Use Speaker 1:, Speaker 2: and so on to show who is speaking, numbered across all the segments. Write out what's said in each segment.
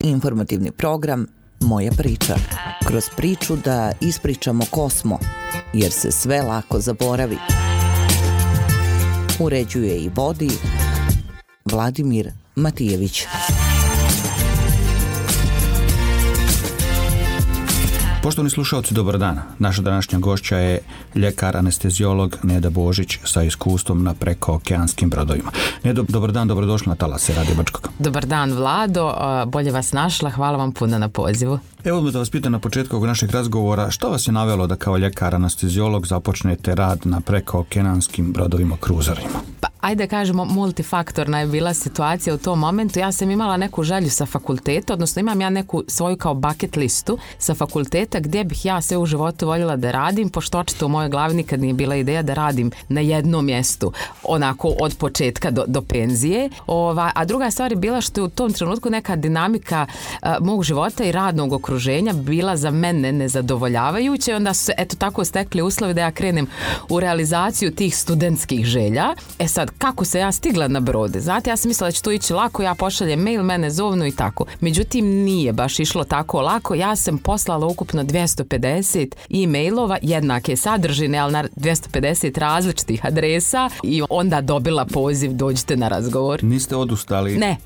Speaker 1: Informativni program Moja priča. Kroz priču da ispričamo ko smo, jer se sve lako zaboravi. Uređuje i vodi Vladimir Matijević.
Speaker 2: Poštovani slušalci, dobar dan. Naša današnja gošća je ljekar anesteziolog Neda Božić sa iskustvom na prekookeanskim brodovima. Nedo, dobar dan, dobrodošli na talase Radio Brčkog.
Speaker 3: Dobar dan, Vlado, bolje vas našla, hvala vam puno na pozivu.
Speaker 2: Evo da vas pitam na početku ovog našeg razgovora, što vas je navelo da kao ljekar anesteziolog započnete rad na prekookeanskim brodovima kruzerima?
Speaker 3: Pa, ajde kažemo, multifaktorna je bila situacija u tom momentu. Ja sam imala neku želju sa fakulteta, odnosno imam ja neku svoju kao bucket listu sa fakulteta gdje bih ja sve u životu voljela da radim, pošto očito u mojoj glavi nikad nije bila ideja da radim na jednom mjestu, onako od početka do penzije. A druga stvar je bila što je u tom trenutku neka dinamika mog života i radnog okruženja bila za mene nezadovoljavajuća i onda su se eto tako stekli uslovi da ja krenem u realizaciju tih studentskih želja. E sad, kako se ja stigla na brode? Znate, ja sam mislila da će to ići lako, ja pošaljem mail, mene zovnu i tako. Međutim, nije baš išlo tako lako. Ja sam poslala ukupno 250 e-mailova, jednake sadržine, ali na 250 različitih adresa i onda dobila poziv, dođite na razgovor.
Speaker 2: Niste odustali?
Speaker 3: Ne.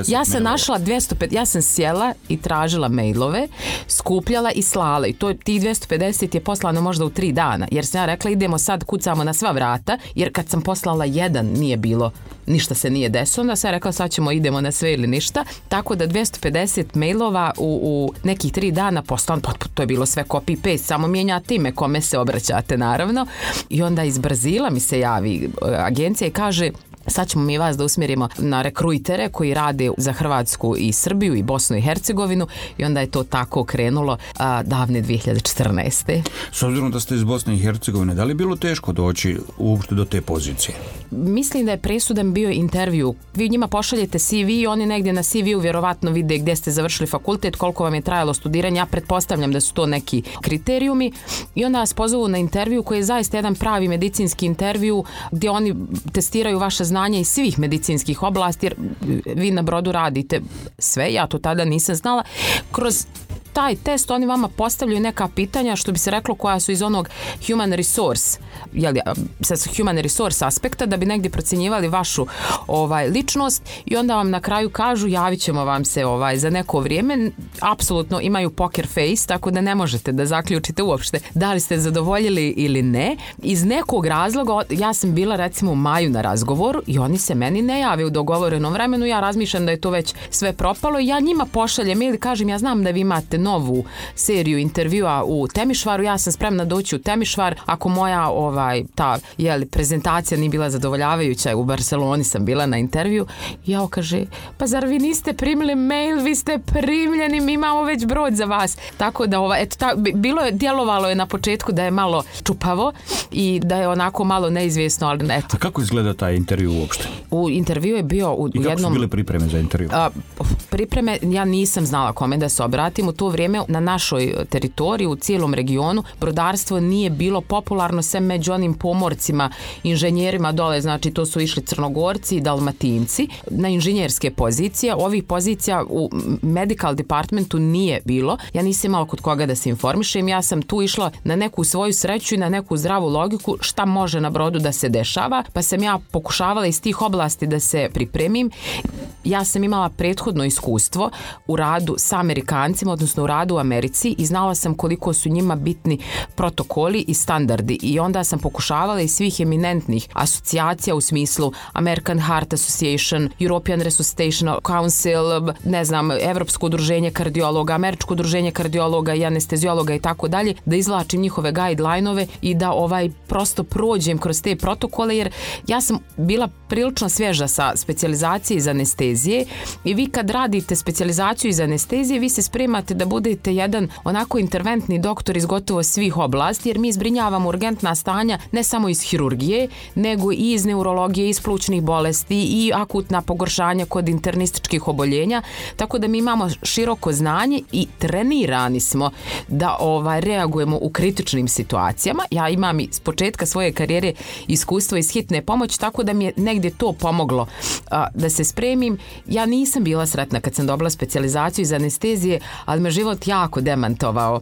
Speaker 3: Ja sam našla 250, ja sam sjela i tražila mailove, skupljala i slala i tih 250 je poslano možda u 3 dana, jer sam ja rekla idemo sad, kucamo na sva vrata, jer kad sam poslala jedan nije bilo, ništa se nije desilo, onda sam rekla sad idemo na sve ili ništa, tako da 250 mailova u nekih 3 dana poslano, to je bilo sve copy paste, samo mijenjate ime kome se obraćate naravno i onda iz Brazila mi se javi agencija i kaže sad ćemo mi vas da usmjerimo na rekrujtere koji rade za Hrvatsku i Srbiju i Bosnu i Hercegovinu i onda je to tako krenulo davne 2014.
Speaker 2: S obzirom da ste iz Bosne i Hercegovine, da li je bilo teško doći uopšte do te pozicije?
Speaker 3: Mislim da je presudan bio intervju. Vi njima pošaljete CV i oni negdje na CV-u vjerovatno vide gdje ste završili fakultet, koliko vam je trajalo studiranje. Ja pretpostavljam da su to neki kriterijumi i onda vas pozovu na intervju koji je zaista jedan pravi medicinski intervju gdje oni testiraju vaše znanje iz svih medicinskih oblasti, jer vi na brodu radite sve, ja to tada nisam znala. Kroz taj test oni vama postavljaju neka pitanja, što bi se reklo, koja su iz onog human resource, sa human resource aspekta, da bi negdje procjenjivali vašu ličnost i onda vam na kraju kažu javit ćemo vam se za neko vrijeme. Apsolutno imaju poker face, tako da ne možete da zaključite uopšte da li ste zadovoljili ili ne. Iz nekog razloga, ja sam bila recimo u maju na razgovoru i oni se meni ne jave u dogovorenom vremenu, ja razmišljam da je to već sve propalo i ja njima pošaljem ili kažem ja znam da vi imate novu seriju intervjua u Temišvaru, ja sam spremna doći u Temišvar, ako moja prezentacija nije bila zadovoljavajuća, u Barceloni sam bila na intervju, ja kaže, pa zar vi niste primili mail, vi ste primljeni, mi imamo već brod za vas. Tako da djelovalo je na početku da je malo čupavo i da je onako malo neizvjesno, ali eto.
Speaker 2: A kako izgleda taj intervju uopšte?
Speaker 3: U intervju je bio u jednom...
Speaker 2: I kako su bile pripreme za intervju?
Speaker 3: Pripreme, ja nisam znala kome da se obratim. U to vrijeme na našoj teritoriji, u cijelom regionu, brodarstvo nije bilo popularno sem među onim pomorcima, inženjerima dole, znači to su išli Crnogorci i Dalmatinci na inženjerske pozicije. Ovih pozicija u medical departmentu nije bilo. Ja nisam imala kod koga da se informišem. Ja sam tu išla na neku svoju sreću i na neku zdravu logiku šta može na brodu da se dešava, pa sam ja pokušavala iz tih oblasti da se pripremim. Ja sam imala prethodno iskustvo u radu sa Amerikancima, odnosno u radu u Americi i znala sam koliko su njima bitni protokoli i standardi i onda sam pokušavala iz svih eminentnih asocijacija u smislu American Heart Association, European Resuscitation Council, ne znam, Evropsko udruženje kardiologa, Američko udruženje kardiologa i anesteziologa i tako dalje, da izvlačim njihove guideline-ove i da prosto prođem kroz te protokole, jer ja sam bila prilično svježa sa specijalizacije iz anestezije i vi kad radite specijalizaciju iz anestezije, vi se spremate da da budete jedan onako interventni doktor iz gotovo svih oblasti, jer mi zbrinjavamo urgentna stanja ne samo iz hirurgije, nego i iz neurologije, iz plućnih bolesti i akutna pogoršanja kod internističkih oboljenja, tako da mi imamo široko znanje i trenirani smo da reagujemo u kritičnim situacijama. Ja imam s početka svoje karijere iskustvo iz hitne pomoći, tako da mi je negdje to pomoglo da se spremim. Ja nisam bila sretna kad sam dobila specijalizaciju iz anestezije, ali me život jako demantovao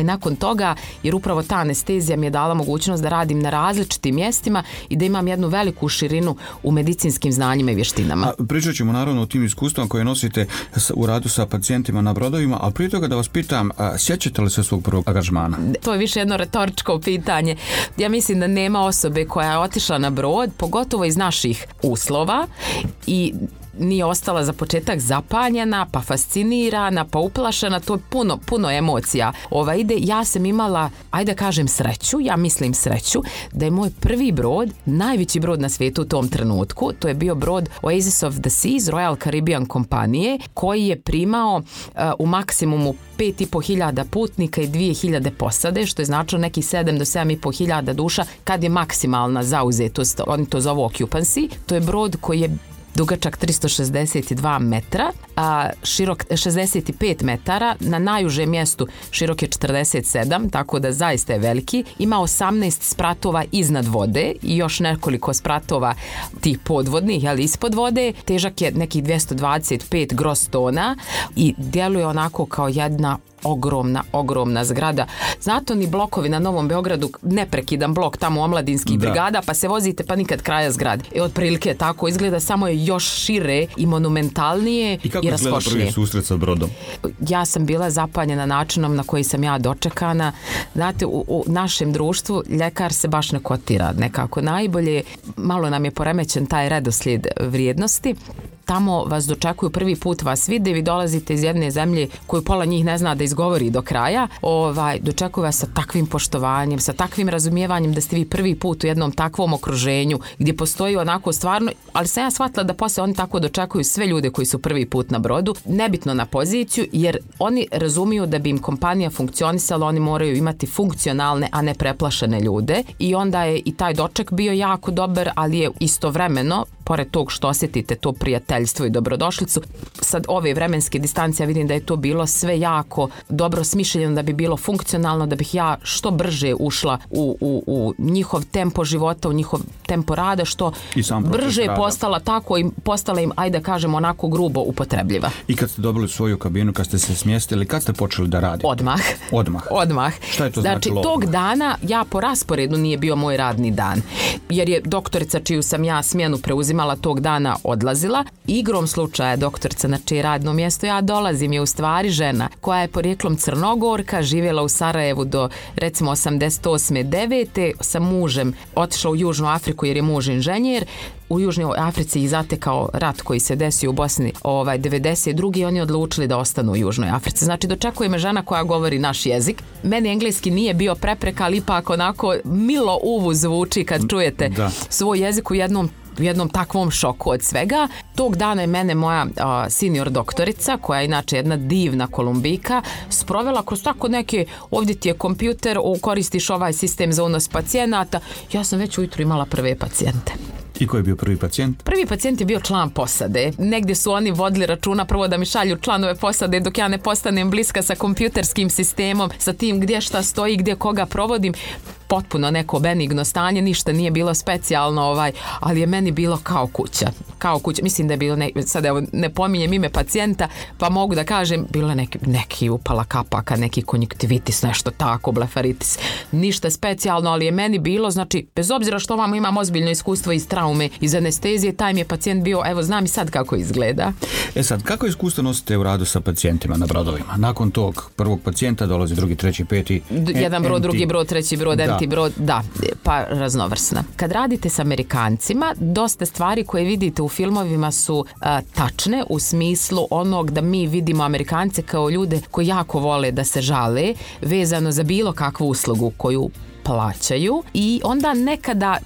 Speaker 3: nakon toga, jer upravo ta anestezija mi je dala mogućnost da radim na različitim mjestima i da imam jednu veliku širinu u medicinskim znanjima i vještinama.
Speaker 2: Pričat ćemo naravno o tim iskustvama koje nosite u radu sa pacijentima na brodovima, ali prije toga da vas pitam, sjećate li se svog prvog angažmana?
Speaker 3: To je više jedno retoričko pitanje. Ja mislim da nema osobe koja je otišla na brod, pogotovo iz naših uslova, i nije ostala za početak zapanjena, pa fascinirana, pa uplašena, to je puno emocija. Ide, ja sam imala, ajde kažem sreću, ja mislim sreću, da je moj prvi brod, najveći brod na svijetu u tom trenutku, to je bio brod Oasis of the Seas, Royal Caribbean kompanije, koji je primao u maksimumu 5.500 putnika i 2.000 posade, što je značilo nekih 7 do 7.500 duša kad je maksimalna zauzetost, oni to zovu occupancy. To je brod koji je dugačak 362 metra, a širok 65 metara, na najužem mjestu širok je 47, tako da zaista je veliki. Ima 18 spratova iznad vode i još nekoliko spratova tih podvodnih, ali ispod vode. Težak je nekih 225 gross tona i djeluje onako kao jedna ogromna zgrada. Znate, oni blokovi na Novom Beogradu, neprekidan blok tamo omladinskih brigada, pa se vozite pa nikad kraja zgrade. Otprilike tako izgleda, samo je još šire i monumentalnije i raskošnije.
Speaker 2: I kako izgleda prvi susret sa brodom?
Speaker 3: Ja sam bila zapanjena načinom na koji sam ja dočekana. Znate, u našem društvu ljekar se baš ne kotira nekako najbolje. Malo nam je poremećen taj redoslijed vrijednosti. Tamo vas dočekuju, prvi put vas vide, vi dolazite iz jedne zemlje koju pola njih ne zna da izgovori do kraja, dočekuju vas sa takvim poštovanjem, sa takvim razumijevanjem da ste vi prvi put u jednom takvom okruženju gdje postoji onako stvarno, ali sam ja shvatila da poslije oni tako dočekuju sve ljude koji su prvi put na brodu, nebitno na poziciju, jer oni razumiju da bi im kompanija funkcionisala, oni moraju imati funkcionalne, a ne preplašene ljude, i onda je i taj doček bio jako dobar, ali je istovremeno, pored tog što osjetite to prijateljstvo i dobrodošlicu, sad ove vremenske distancije vidim da je to bilo sve jako dobro smišljeno da bi bilo funkcionalno, da bih ja što brže ušla u njihov tempo života, u njihov tempo rada, što brže je postala tako i postala im, ajde kažem, onako grubo upotrebljiva.
Speaker 2: I kad ste dobili svoju kabinu, kad ste se smjestili, kad ste počeli da radite?
Speaker 3: Odmah.
Speaker 2: Šta je to
Speaker 3: znači? Tog dana ja po rasporedu nije bio moj radni dan, jer je doktorica čiju sam ja smjenu preuzimala tog dana odlazila. Igrom slučaja doktorica na čije radno mjesto ja dolazim je u stvari žena koja je porijeklom Crnogorka, živjela u Sarajevu do recimo 88. 9. sa mužem otišla u Južnu Afriku jer je muž inženjer. U Južnoj Africi ih zatekao rat koji se desio u Bosni 92. i oni odlučili da ostanu u Južnoj Africi. Znači, dočekuje me žena koja govori naš jezik. Meni engleski nije bio prepreka, ali ipak onako milo uvu zvuči kad čujete svoj jezik u jednom takvom šoku od svega. Tog dana je mene moja senior doktorica, koja je inače jedna divna Kolumbijka, sprovela kroz tako neke, ovdje ti je kompjuter, koristiš ovaj sistem za unos pacijenata. Ja sam već ujutro imala prve pacijente.
Speaker 2: I ko je bio prvi pacijent?
Speaker 3: Prvi pacijent je bio član posade. Negdje su oni vodili računa prvo da mi šalju članove posade dok ja ne postanem bliska sa kompjuterskim sistemom, sa tim gdje šta stoji, gdje koga provodim. Potpuno neko benigno stanje, ništa nije bilo specijalno, ali je meni bilo kao kuća. Mislim da je bilo, sad evo ne pominjem ime pacijenta, pa mogu da kažem, bilo neki upala kapaka, neki konjuktivitis, nešto tako, blefaritis. Ništa specijalno, ali je meni bilo, znači, bez obzira što vam imam ozbiljno iskustvo iz traume, iz anestezije, taj mi je pacijent bio, evo znam i sad kako izgleda.
Speaker 2: Sad, kako iskustvo nosite u radu sa pacijentima na brodovima? Nakon tog prvog pacijenta dolazi drugi, treći, peti.
Speaker 3: Jedan brod, drugi brod, treći brod, brod, pa raznovrsna. Kad radite s Amerikancima, dosta stvari koje vidite u filmovima su tačne u smislu onog da mi vidimo Amerikance kao ljude koji jako vole da se žale vezano za bilo kakvu uslugu koju plaćaju i onda nekada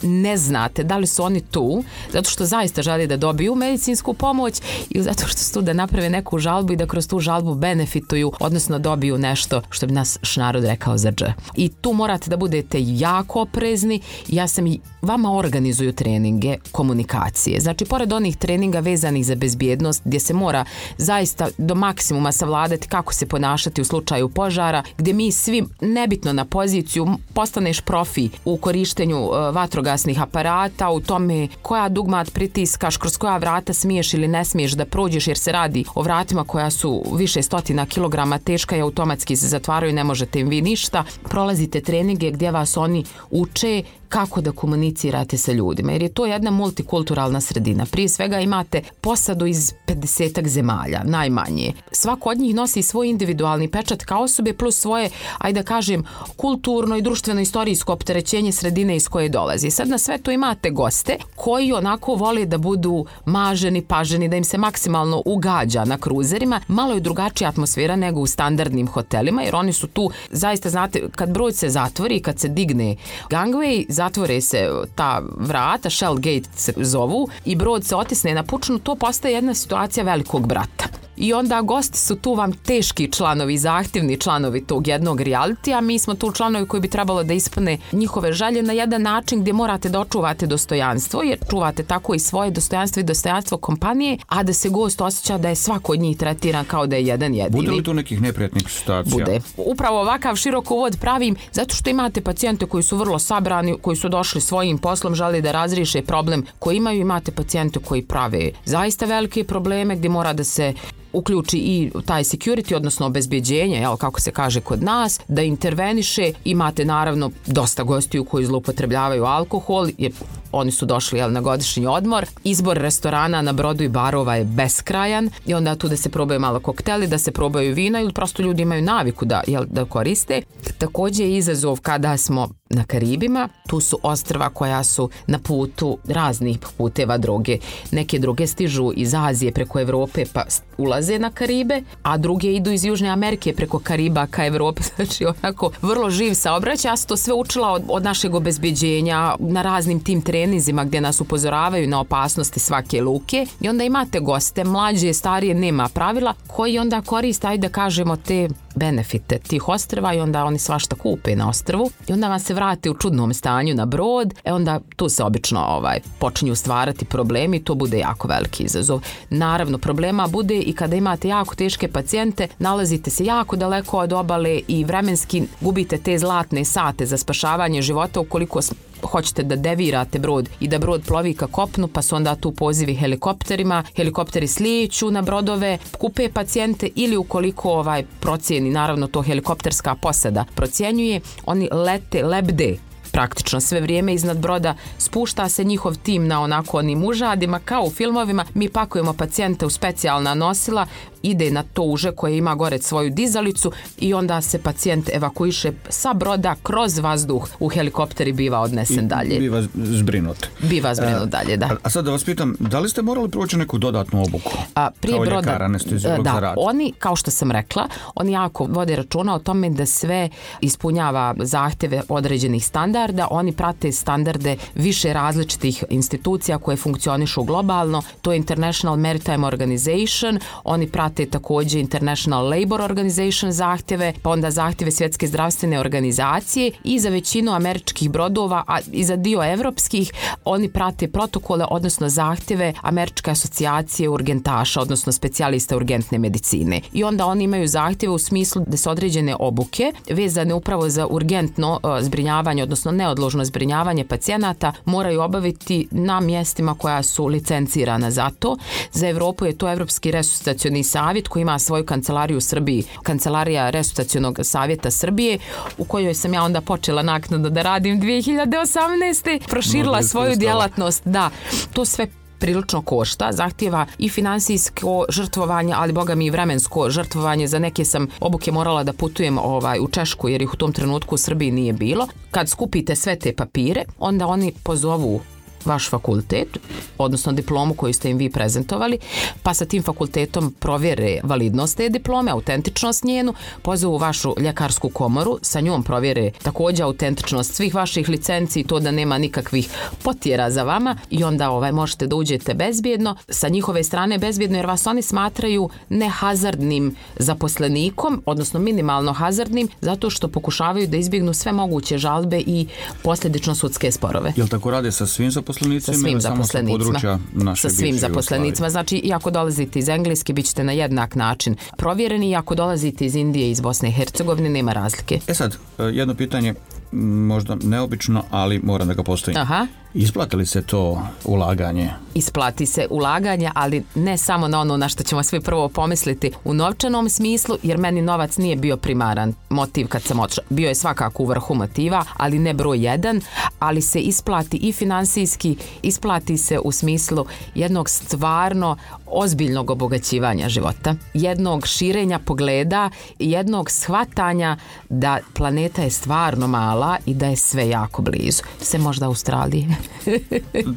Speaker 3: ne znate da li su oni tu zato što zaista žele da dobiju medicinsku pomoć ili zato što su tu da naprave neku žalbu i da kroz tu žalbu benefituju, odnosno dobiju nešto što bi nas narod rekao za dž. I tu morate da budete jako oprezni. Ja sam i vama organizuju treninge komunikacije. Znači, pored onih treninga vezanih za bezbjednost, gdje se mora zaista do maksimuma savladati kako se ponašati u slučaju požara, gdje mi svi, nebitno na poziciju, postaneš profi u korištenju vatrogasnih aparata, u tome koja dugmat pritiskaš, kroz koja vrata smiješ ili ne smiješ da prođeš, jer se radi o vratima koja su više stotina kilograma teška i automatski se zatvaraju, ne možete im vi ništa. Prolazite treninge gdje vas oni uče kako da komunicirate sa ljudima, jer je to jedna multikulturalna sredina. Prije svega imate posadu iz 50 zemalja, najmanje. Svako od njih nosi svoj individualni pečat kao osobe plus svoje, ajde da kažem, kulturno i društveno istorijsko opterećenje sredine iz koje dolazi. Sad na sve to imate goste koji onako vole da budu maženi, paženi, da im se maksimalno ugađa na kruzerima. Malo je drugačija atmosfera nego u standardnim hotelima, jer oni su tu, zaista znate, kad brod se zatvori, kad se digne gangway, zatvore se ta vrata, shell gate se zovu, i brod se otisne na pučinu, to postaje jedna situacija velikog brata. I onda gosti su tu vam teški članovi, zahtjevni članovi tog jednog realitija, a mi smo tu članovi koji bi trebalo da ispune njihove želje na jedan način gdje morate da očuvate dostojanstvo, jer čuvate tako i svoje dostojanstvo i dostojanstvo kompanije, a da se gost osjeća da je svako od njih tretiran kao da je jedan jedini.
Speaker 2: Bude li tu nekih neprijatnih situacija?
Speaker 3: Bude. Upravo ovakav širok uvod pravim zato što imate pacijente koji su vrlo sabrani, koji su došli svojim poslom, žele da razriješe problem koji imaju, imate pacijente koji prave zaista velike probleme gdje mora da se uključi i taj security, odnosno obezbjeđenje, jel, kako se kaže kod nas, da interveniše. Imate naravno dosta gostiju koji zloupotrebljavaju alkohol, jer oni su došli, jel, na godišnji odmor. Izbor restorana na brodu i barova je beskrajan i onda tu da se probaju malo kokteli, da se probaju vina ili prosto ljudi imaju naviku da, jel, da koriste. Također je izazov kada smo na Karibima, tu su ostrva koja su na putu raznih puteva droge. Neke droge stižu iz Azije preko Evrope pa ulaze na Karibe, a druge idu iz Južne Amerike preko Kariba ka Evropi, znači onako vrlo živ saobraćaj. Ja sam to sve učila od našeg obezbeđenja na raznim tim treninzima gdje nas upozoravaju na opasnosti svake luke, i onda imate goste, mlađe, starije, nema pravila, koji onda koriste, ajde da kažemo, te benefite tih ostrva i onda oni svašta kupe na ostrvu i onda vam se vrate u čudnom stanju na brod, onda tu se obično počinju stvarati problemi, to bude jako veliki izazov. Naravno, problema bude i kada imate jako teške pacijente, nalazite se jako daleko od obale i vremenski gubite te zlatne sate za spašavanje života ukoliko hoćete da devirate brod i da brod plovi ka kopnu, pa su onda tu pozivi helikopterima, helikopteri slijeću na brodove, kupe pacijente ili ukoliko procijeni, naravno to helikopterska posada procjenjuje, oni lete, lebde praktično sve vrijeme iznad broda, spušta se njihov tim na onako onim užadima kao u filmovima, mi pakujemo pacijente u specijalna nosila, ide na to uže koje ima gore svoju dizalicu i onda se pacijent evakuiše sa broda kroz vazduh u helikopter i biva odnesen dalje.
Speaker 2: Biva zbrinut.
Speaker 3: Biva zbrinut dalje, da.
Speaker 2: A sad da vas pitam, da li ste morali proći neku dodatnu obuku?
Speaker 3: Prije
Speaker 2: kao
Speaker 3: broda,
Speaker 2: ljekar, anesteziolog za rad?
Speaker 3: Oni, kao što sam rekla, oni jako vode računa o tome da sve ispunjava zahtjeve određenih standarda, oni prate standarde više različitih institucija koje funkcionišu globalno, to je International Maritime Organization, oni prate također International Labour Organization zahtjeve, pa onda zahtjeve Svjetske zdravstvene organizacije i za većinu američkih brodova, a i za dio evropskih, oni prate protokole, odnosno zahtjeve Američke asocijacije urgentaša, odnosno specijalista urgentne medicine. I onda oni imaju zahtjeve u smislu da se određene obuke vezane upravo za urgentno zbrinjavanje, odnosno neodložno zbrinjavanje pacijenata moraju obaviti na mjestima koja su licencirana za to. Za Evropu je to Evropski resuscitacioni savjet koji ima svoju kancelariju u Srbiji, Kancelarija resuscitacionog savjeta Srbije, u kojoj sam ja onda počela naknadno da radim 2018. Proširila svoju djelatnost. Da, to sve prilično košta, zahtjeva i finansijsko žrtvovanje, ali boga mi i vremensko žrtvovanje. Za neke sam obuke morala da putujem u Češku jer ih u tom trenutku u Srbiji nije bilo. Kad skupite sve te papire, onda oni pozovu vaš fakultet, odnosno diplomu koju ste im vi prezentovali, pa sa tim fakultetom provjere validnost te diplome, autentičnost njenu, pozovu vašu ljekarsku komoru, sa njom provjere također autentičnost svih vaših licenci i to da nema nikakvih potjera za vama i onda možete da uđete bezbjedno, sa njihove strane bezbjedno jer vas oni smatraju nehazardnim zaposlenikom, odnosno minimalno hazardnim, zato što pokušavaju da izbjegnu sve moguće žalbe i posljedično sudske sporove.
Speaker 2: Jel tako rade sa svim zaposlenicima?
Speaker 3: Sa svim zaposlenicima.
Speaker 2: Sa
Speaker 3: svim zaposlenicima. Znači, i ako dolazite iz Engleske, bit ćete na jednak način provjereni i ako dolazite iz Indije, iz Bosne i Hercegovine, nema razlike.
Speaker 2: Sad, jedno pitanje, možda neobično, ali moram da ga postavim.
Speaker 3: Aha.
Speaker 2: Isplati li se to ulaganje?
Speaker 3: Isplati se ulaganje, ali ne samo na ono na što ćemo svi prvo pomisliti u novčanom smislu, jer meni novac nije bio primaran motiv kad sam otišla. Bio je svakako u vrhu motiva, ali ne broj jedan, ali se isplati i finansijski, isplati se u smislu jednog stvarno ozbiljnog obogaćivanja života, jednog širenja pogleda, jednog shvatanja da planeta je stvarno mala i da je sve jako blizu. Sve možda Australije.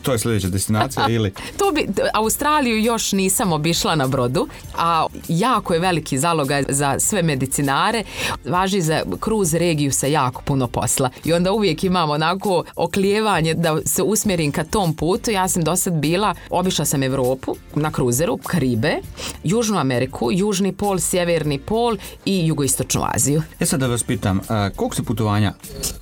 Speaker 2: To je sljedeća destinacija ili?
Speaker 3: Australiju još nisam obišla na brodu, a jako je veliki zalogaj za sve medicinare. Važi za kruz regiju sa jako puno posla. I onda uvijek imam onako oklijevanje da se usmjerim ka tom putu. Ja sam do sad bila, obišla sam Evropu na kruzeru, Karibe, Južnu Ameriku, Južni pol, Sjeverni pol i Jugoistočnu Aziju.
Speaker 2: Sad da vas pitam, koliko se putovanja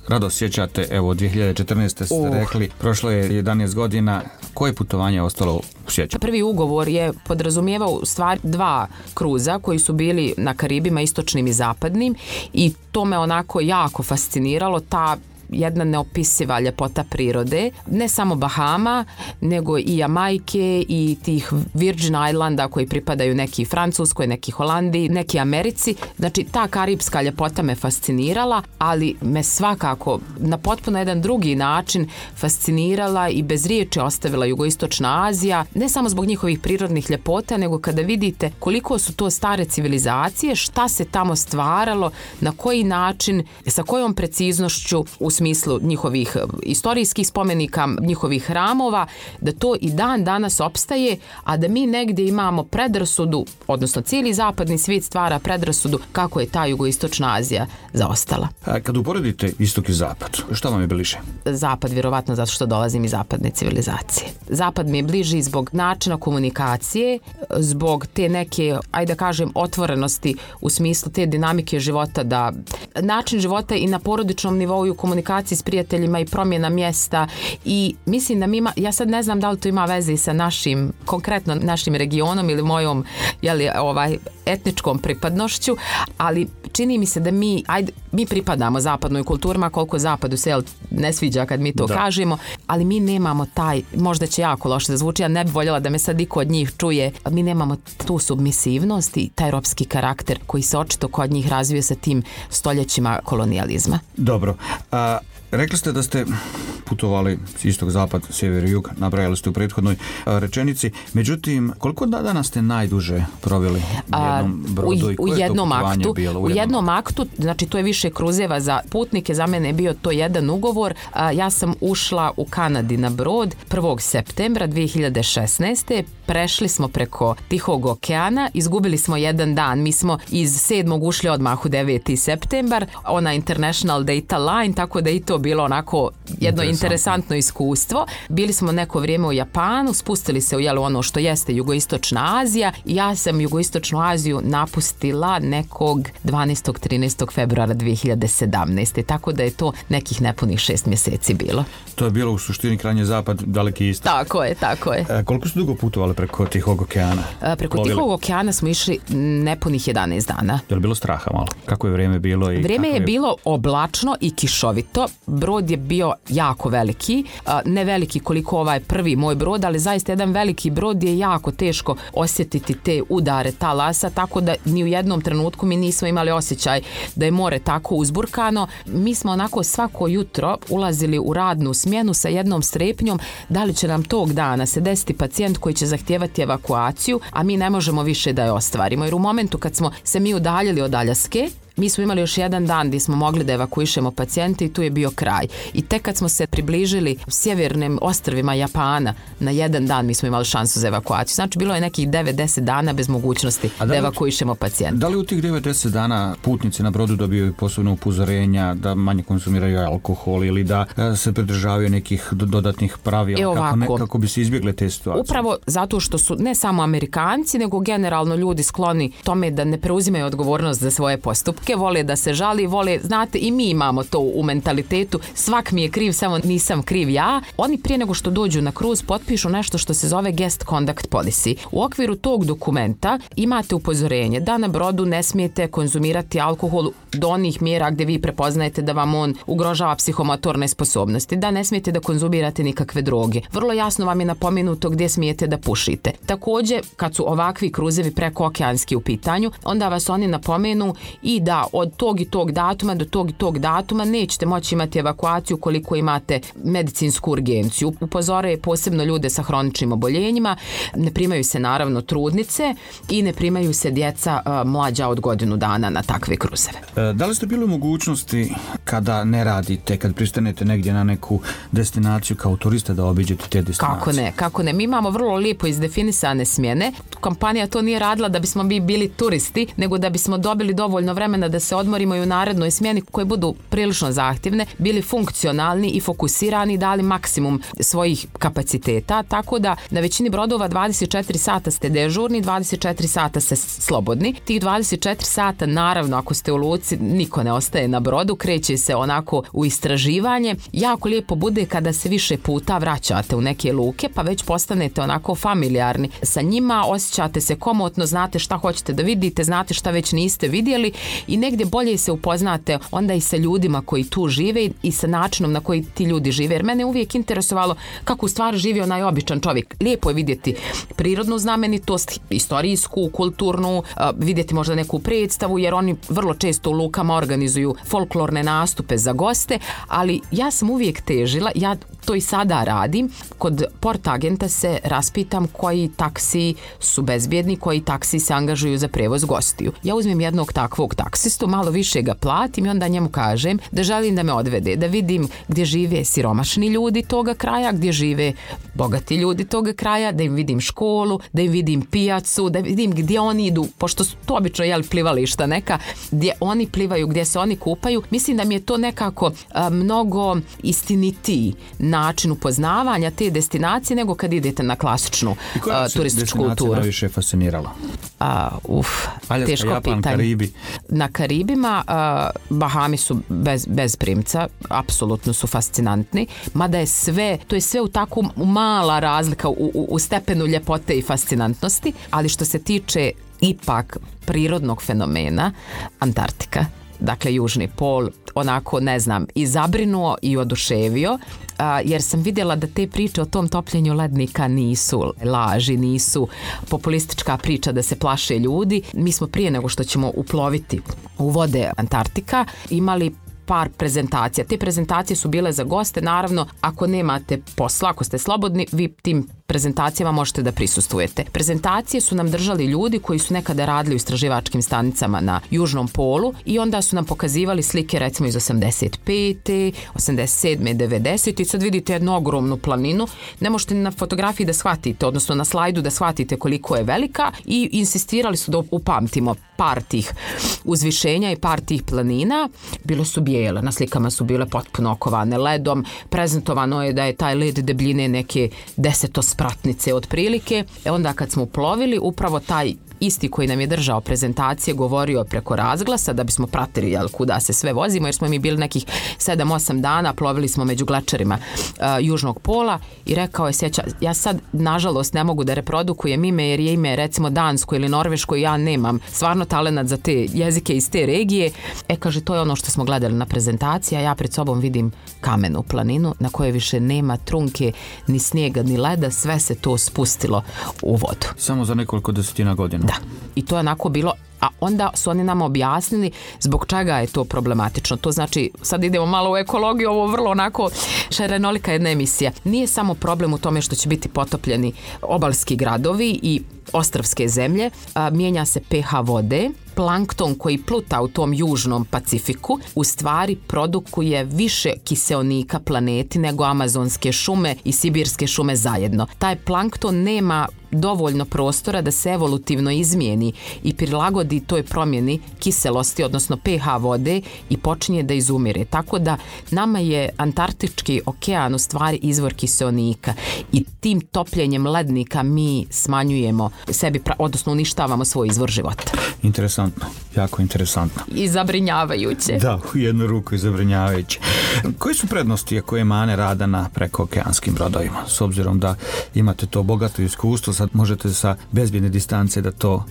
Speaker 2: rado sjećate, evo 2014. ste rekli, prošlo je 11 godina, koje putovanje je ostalo u sjećanju? Prvi
Speaker 3: ugovor je podrazumijevao u stvari 2 kruza koji su bili na Karibima, istočnim i zapadnim, i to me onako jako fasciniralo, ta jedna neopisiva ljepota prirode, ne samo Bahama, nego i Jamajke i tih Virgin Islanda koji pripadaju neki Francuskoj, neki Holandiji, neki Americi. Znači, ta karipska ljepota me fascinirala, ali me svakako na potpuno jedan drugi način fascinirala i bez riječi ostavila Jugoistočna Azija, ne samo zbog njihovih prirodnih ljepota, nego kada vidite koliko su to stare civilizacije, šta se tamo stvaralo, na koji način, sa kojom preciznošću u smislu njihovih istorijskih spomenika, njihovih hramova, da to i dan danas opstaje, a da mi negdje imamo predrasudu, odnosno cijeli zapadni svijet stvara predrasudu kako je ta Jugoistočna Azija zaostala.
Speaker 2: Kad uporedite istok i zapad, šta vam je bliže?
Speaker 3: Zapad, vjerovatno zato što dolazim iz zapadne civilizacije. Zapad mi je bliži zbog načina komunikacije, zbog te neke, ajde da kažem, otvorenosti u smislu te dinamike života, da način života i na porodičnom nivou i u komunikaciji s prijateljima i promjena mjesta, i mislim da mi ima, ja sad ne znam da li to ima veze i sa našim, konkretno našim regionom ili mojom etničkom pripadnošću, ali čini mi se da mi pripadamo zapadnoj kulturima, koliko zapadu se ne sviđa kad mi to kažemo, ali mi nemamo taj, možda će jako loše da zvuči, ja ne bi voljela da me sad iko od njih čuje, mi nemamo tu submisivnost i taj ropski karakter koji se očito kod njih razvio sa tim stoljećima kolonijalizma.
Speaker 2: Dobro. Rekli ste da ste putovali istok, zapad, sjever i jug, nabrajali ste u prethodnoj rečenici. Međutim, koliko dana ste najduže proveli u jednom brodu i koje
Speaker 3: jednom
Speaker 2: to putovanje
Speaker 3: aktu,
Speaker 2: bilo?
Speaker 3: U jednom aktu, znači to je više kruzeva za putnike, za mene je bio to jedan ugovor. Ja sam ušla u Kanadi na brod 1. septembra 2016. Prešli smo preko Tihog okeana, izgubili smo jedan dan. Mi smo iz 7. ušli odmah u 9. septembar, ona International Data Line, tako da i to bilo onako jedno interesantno iskustvo. Bili smo neko vrijeme u Japanu, spustili se u ono što jeste Jugoistočna Azija, i ja sam Jugoistočnu Aziju napustila nekog 12. 13. februara 2017. Tako da je to nekih nepunih 6 mjeseci bilo.
Speaker 2: To je bilo u suštini krajnji zapad, daleki istok.
Speaker 3: Tako je.
Speaker 2: Koliko ste dugo putovali preko Tihog okeana?
Speaker 3: Preko Tihog okeana smo išli nepunih 11 dana.
Speaker 2: Je li bilo straha malo? Kako je vrijeme bilo?
Speaker 3: Vrijeme je bilo oblačno i kišovito. Brod je bio jako veliki, ne veliki koliko ovaj prvi moj brod, ali zaista jedan veliki brod je jako teško osjetiti te udare talasa, tako da ni u jednom trenutku mi nismo imali osjećaj da je more tako uzburkano. Mi smo onako svako jutro ulazili u radnu smjenu sa jednom strepnjom da li će nam tog dana se desiti pacijent koji će zahtijevati evakuaciju, a mi ne možemo više da je ostvarimo. Jer u momentu kad smo se mi udaljili od Aljaske, mi smo imali još jedan dan gdje smo mogli da evakuišemo pacijente i tu je bio kraj. I tek kad smo se približili sjevernim ostrvima Japana, na jedan dan mi smo imali šansu za evakuaciju. Znači bilo je nekih 9-10 dana bez mogućnosti da evakuišemo pacijente.
Speaker 2: Da li u tih 9-10 dana putnici na brodu dobiju posebno upozorenja da manje konzumiraju alkohol ili da se pridržavaju nekih dodatnih pravila kako bi se izbjegle te situacije?
Speaker 3: Upravo zato što su ne samo Amerikanci, nego generalno ljudi skloni tome da ne preuzimaju odgovornost za svoje postupke, vole da se žali, vole, znate, i mi imamo to u mentalitetu, svak mi je kriv, samo nisam kriv ja. Oni prije nego što dođu na kruz potpišu nešto što se zove guest conduct policy. U okviru tog dokumenta imate upozorenje da na brodu ne smijete konzumirati alkohol do onih mjera gdje vi prepoznajete da vam on ugrožava psihomotorne sposobnosti, da ne smijete da konzumirate nikakve droge. Vrlo jasno vam je napomenuto gdje smijete da pušite. Također, kad su ovakvi kruzevi prekookeanski u pitanju, onda vas oni napomenu i da od tog i tog datuma do tog i tog datuma nećete moći imati evakuaciju koliko imate medicinsku urgenciju. Upozore posebno ljude sa hroničnim oboljenjima, ne primaju se naravno trudnice i ne primaju se djeca mlađa od godinu dana na takve kruzeve.
Speaker 2: Da li ste bili u mogućnosti kada ne radite, kad pristanete negdje na neku destinaciju kao turista da obiđete te destinacije?
Speaker 3: Kako ne. Mi imamo vrlo lijepo izdefinisane smjene. Kompanija to nije radila da bismo mi bili turisti, nego da bismo dobili dovoljno vremena da se odmorimo i u narednoj smjeni koje budu prilično zahtjevne, bili funkcionalni i fokusirani, dali maksimum svojih kapaciteta, tako da na većini brodova 24 sata ste dežurni, 24 sata ste slobodni. Tih 24 sata, naravno, ako ste u luci, niko ne ostaje na brodu, kreće se onako u istraživanje. Jako lijepo bude kada se više puta vraćate u neke luke, pa već postanete onako familijarni sa njima, osjećate se komotno, znate šta hoćete da vidite, znate šta već niste vidjeli i negdje bolje se upoznate onda i sa ljudima koji tu žive i sa načinom na koji ti ljudi žive. Jer mene uvijek interesovalo kako u stvari živi onaj običan čovjek. Lijepo je vidjeti prirodnu znamenitost, istorijsku, kulturnu, vidjeti možda neku predstavu, jer oni vrlo često u lukama organizuju folklorne nastupe za goste, ali ja sam uvijek težila, ja to i sada radim, kod portagenta se raspitam koji taksi su bezbjedni, koji taksi se angažuju za prevoz gostiju. Ja uzmem jednog takvog taksistu, malo više ga platim i onda njemu kažem da želim da me odvede, da vidim gdje žive siromašni ljudi toga kraja, gdje žive bogati ljudi toga kraja, da im vidim školu, da im vidim pijacu, da vidim gdje oni idu, pošto su to obično plivališta neka, gdje oni plivaju, gdje se oni kupaju. Mislim da mi je to nekako mnogo istinitiji način upoznavanja te destinacije nego kad idete na klasičnu turističku kulturu.
Speaker 2: Koja se najviše fascinirala? Aljaska,
Speaker 3: teško
Speaker 2: Japan,
Speaker 3: pitanje.
Speaker 2: Karibi.
Speaker 3: Na Karibima Bahami su bez primca, apsolutno su fascinantni, mada je sve, to je sve u tako mala razlika u stepenu ljepote i fascinantnosti, ali što se tiče ipak prirodnog fenomena, Antarktika, dakle Južni pol, onako, ne znam, i zabrinuo i oduševio, jer sam vidjela da te priče o tom topljenju lednika nisu laži, nisu populistička priča da se plaše ljudi. Mi smo prije nego što ćemo uploviti u vode Antarktika imali par prezentacija. Te prezentacije su bile za goste, naravno, ako nemate posla, ako ste slobodni, vi tim prezentacijama možete da prisustvujete. Prezentacije su nam držali ljudi koji su nekada radili u istraživačkim stanicama na Južnom polu i onda su nam pokazivali slike recimo iz 85. 87. 90. i sad vidite jednu ogromnu planinu. Ne možete na fotografiji da shvatite, odnosno na slajdu da shvatite koliko je velika i insistirali su da upamtimo par tih uzvišenja i par tih planina. Bile su bijele, na slikama su bile potpuno okovane ledom. Prezentovano je da je taj led debljine neke 10 spratnice otprilike. Onda kad smo plovili, upravo taj isti koji nam je držao prezentacije govorio preko razglasa da bismo pratili kuda se sve vozimo, jer smo mi bili nekih 7-8 dana, plovili smo među glačarima Južnog pola i rekao je, ja sad nažalost ne mogu da reprodukujem ime jer je ime recimo dansko ili norveško i ja nemam stvarno talenat za te jezike iz te regije. Kaže, to je ono što smo gledali na prezentaciji, a ja pred sobom vidim kamenu planinu na kojoj više nema trunke, ni snijega, ni leda, sve se to spustilo u vodu.
Speaker 2: Samo za nekoliko desetina godina.
Speaker 3: Da, i to je onako bilo, a onda su oni nama objasnili zbog čega je to problematično. To znači, sad idemo malo u ekologiju, ovo vrlo onako šarenolika jedna emisija. Nije samo problem u tome što će biti potopljeni obalski gradovi i ostrvske zemlje, mijenja se pH vode, plankton koji pluta u tom južnom Pacifiku u stvari produkuje više kiseonika planeti nego amazonske šume i sibirske šume zajedno. Taj plankton nema dovoljno prostora da se evolutivno izmijeni i prilagodi toj promjeni kiselosti, odnosno pH vode i počinje da izumire. Tako da nama je Antarktički okean u stvari izvor kiseonika i tim topljenjem lednika mi smanjujemo sebi, odnosno uništavamo svoj izvor života.
Speaker 2: Interesantno, jako interesantno.
Speaker 3: I zabrinjavajuće.
Speaker 2: Da, u jednu ruku i zabrinjavajuće. Koje su prednosti koje mane rada na prekookeanskim brodovima? S obzirom da imate to bogato iskustvo, sad možete sa bezbjedne distance da to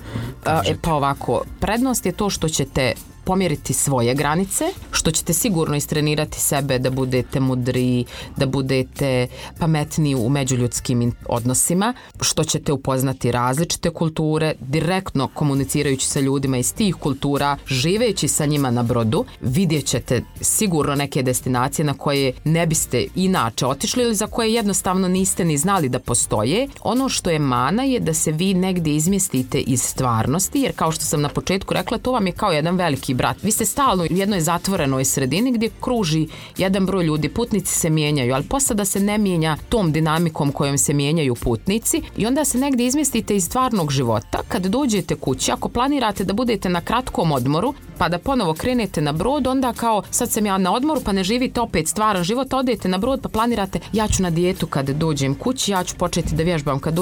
Speaker 2: kažete.
Speaker 3: Pa ovako, prednost je to što ćete pomjeriti svoje granice, što ćete sigurno istrenirati sebe da budete mudri, da budete pametniji u međuljudskim odnosima, što ćete upoznati različite kulture, direktno komunicirajući sa ljudima iz tih kultura, živeći sa njima na brodu, vidjet ćete sigurno neke destinacije na koje ne biste inače otišli ili za koje jednostavno niste ni znali da postoje. Ono što je mana je da se vi negdje izmjestite iz stvarnosti, jer kao što sam na početku rekla, to vam je kao jedan veliki brat. Vi ste stalno u jednoj zatvorenoj sredini gdje kruži jedan broj ljudi, putnici se mijenjaju, ali posada se ne mijenja tom dinamikom kojom se mijenjaju putnici i onda se negdje izmjestite iz stvarnog života. Kad dođete kući, ako planirate da budete na kratkom odmoru, pa da ponovo krenete na brod, onda kao sad sam ja na odmoru, pa ne živite opet stvaran život, odete na brod pa planirate ja ću na dijetu kad dođem kući, ja ću početi da vježbam kad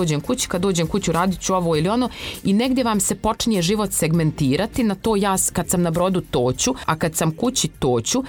Speaker 3: dođem kući radit ću ovo ili ono i negdje vam se počinje život segmentirati na to ja kad sam na brodu toću, a kad sam kući toću.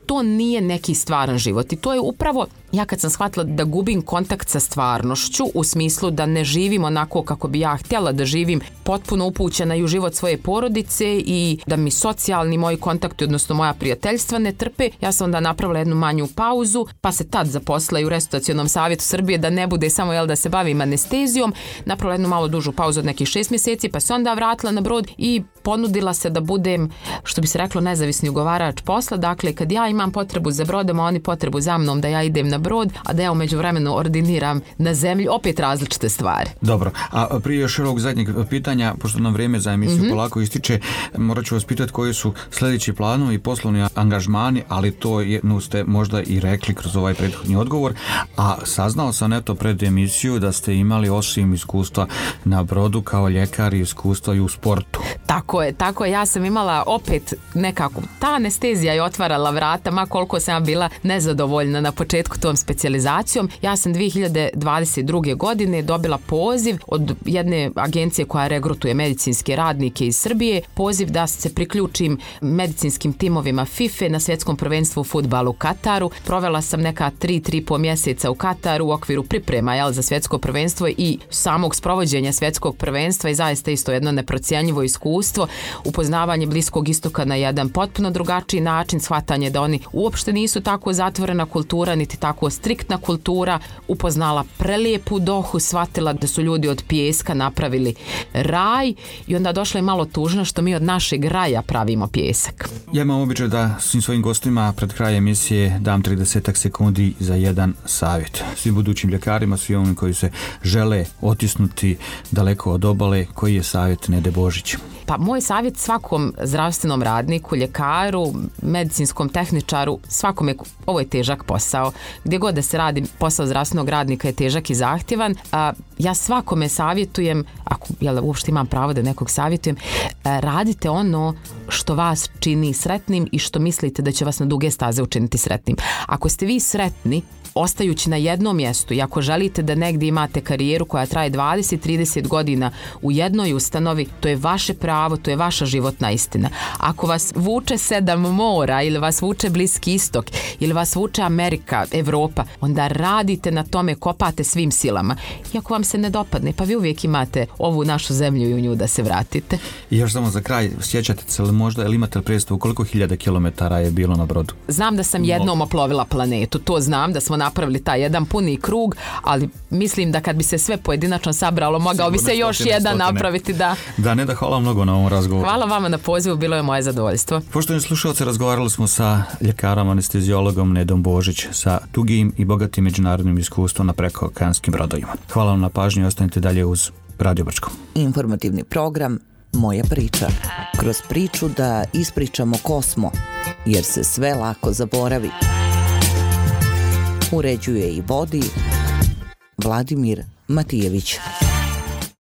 Speaker 3: To nije neki stvaran život i to je upravo ja kad sam shvatila da gubim kontakt sa stvarnošću u smislu da ne živim onako kako bi ja htjela da živim, potpuno upućena i u život svoje porodice i da mi socijalni moji kontakti, odnosno moja prijateljstva ne trpe, ja sam onda napravila jednu manju pauzu, pa se tad zaposlila i u Restauracionom savjetu Srbije da ne bude samo da se bavim anestezijom, napravila jednu malo dužu pauzu od nekih 6 mjeseci, pa se onda vratila na brod i ponudila se da budem, što bi se reklo, nezavisni ugovarač posla. Dakle, kad ja imam potrebu za brodom, a oni potrebu za mnom da ja idem na brod, a da ja u međuvremenu ordiniram na zemlji, opet različite stvari.
Speaker 2: Dobro, a prije još ovog zadnjeg pitanja, pošto nam vrijeme za emisiju polako ističe, morat ću vas pitati koji su sljedeći planovi i poslovni angažmani, ali to ste možda i rekli kroz ovaj prethodni odgovor, a saznao sam eto pred emisiju da ste imali osim iskustva na brodu kao ljekar i iskustva i u sportu.
Speaker 3: Tako je, ja sam imala opet nekako, ta anestezija je otvarala vrata, ma koliko sam bila nezadovoljna na početku tom specijalizacijom. Ja sam 2022. godine dobila poziv od jedne agencije koja regrutuje medicinske radnike iz Srbije, poziv da se priključim medicinskim timovima FIFA na svjetskom prvenstvu u fudbalu u Kataru. Provela sam neka 3,5 mjeseca u Kataru u okviru priprema za svjetsko prvenstvo i samog sprovođenja svjetskog prvenstva i zaista isto jedno neprocjenjivo iskustvo, upoznavanje Bliskog istoka na jedan potpuno drugačiji način, shvatanje da oni uopšte nisu tako zatvorena kultura, niti tako striktna kultura, upoznala prelijepu Dohu, shvatila da su ljudi od pijeska napravili raj i onda došla je malo tužno što mi od našeg raja pravimo pijesak.
Speaker 2: Ja imam običaj da svim svojim gostima pred kraj emisije dam 30 sekundi za jedan savjet. Svim budućim ljekarima, svim onim koji se žele otisnuti daleko od obale, koji je savjet Nede Božić?
Speaker 3: Pa moj savjet svakom zdravstvenom radniku, ljekaru, medicinskom tehničaru, svakome, ovo je težak posao. Gdje god da se radi, posao zdravstvenog radnika je težak i zahtjevan. Ja svakome savjetujem, ako uopšte imam pravo da nekog savjetujem, radite ono što vas čini sretnim i što mislite da će vas na duge staze učiniti sretnim. Ako ste vi sretni, ostajući na jednom mjestu i ako želite da negdje imate karijeru koja traje 20-30 godina u jednoj ustanovi, to je vaše pravo, to je vaša životna istina. Ako vas vuče 7 mora ili vas vuče Bliski istok ili vas vuče Amerika, Evropa, onda radite na tome, kopate svim silama. I ako vam se ne dopadne, pa vi uvijek imate ovu našu zemlju i u nju da se vratite.
Speaker 2: I još samo za kraj, sjećate se li možda, ili imate li predstavu koliko hiljada kilometara je bilo na brodu?
Speaker 3: Znam da sam jednom oplovila planetu, to znam da smo napravili taj jedan puni krug, ali mislim da kad bi se sve pojedinačno sabralo, mogao bi se još jedan napraviti.
Speaker 2: Da, Neda, hvala mnogo na ovom razgovoru.
Speaker 3: Hvala vama na pozivu, bilo je moje zadovoljstvo.
Speaker 2: Poštovani slušalci, razgovarali smo sa ljekarom anesteziologom Nedom Božić sa dugim i bogatim međunarodnim iskustvom na prekookeanskim brodovima. Hvala vam na pažnji i ostanite dalje uz Radio Brčko.
Speaker 1: Informativni program Moja priča. Kroz priču da ispričamo ko smo, jer se sve lako zaboravi. Uređuje i vodi Vladimir Matijević.